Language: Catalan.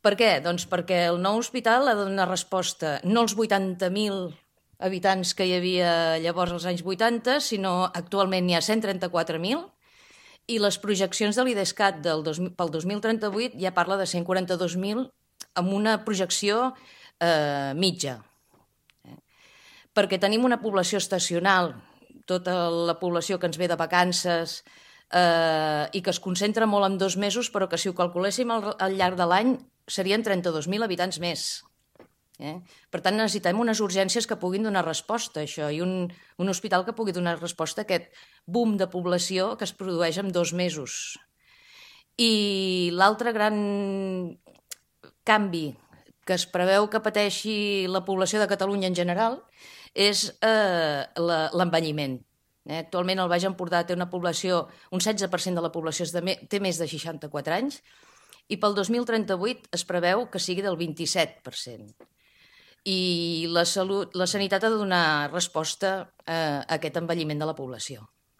Per què? Doncs perquè el nou hospital ha de donar resposta no als 80.000 habitants que hi havia llavors als anys 80, sinó actualment n'hi ha 134.000, i les projeccions de l'IDESCAT pel 2038 ja parla de 142.000 amb una projecció mitja. Perquè tenim una població estacional, tota la població que ens ve de vacances i que es concentra molt en 2 mesos, però que si ho calculéssim al llarg de l'any serien 32.000 habitants més. Per tant, necessitem unes urgències que puguin donar resposta a això i un hospital que pugui donar resposta a aquest boom de població que es produeix en 2 mesos. I l'altre gran canvi que es preveu que pateixi la població de Catalunya en general és l'envelliment. Actualment el Baix Empordà té una població, un 16% de la població té més de 64 anys i pel 2038 es preveu que sigui del 27%. I la sanitat ha de donar resposta a aquest envelliment de la població.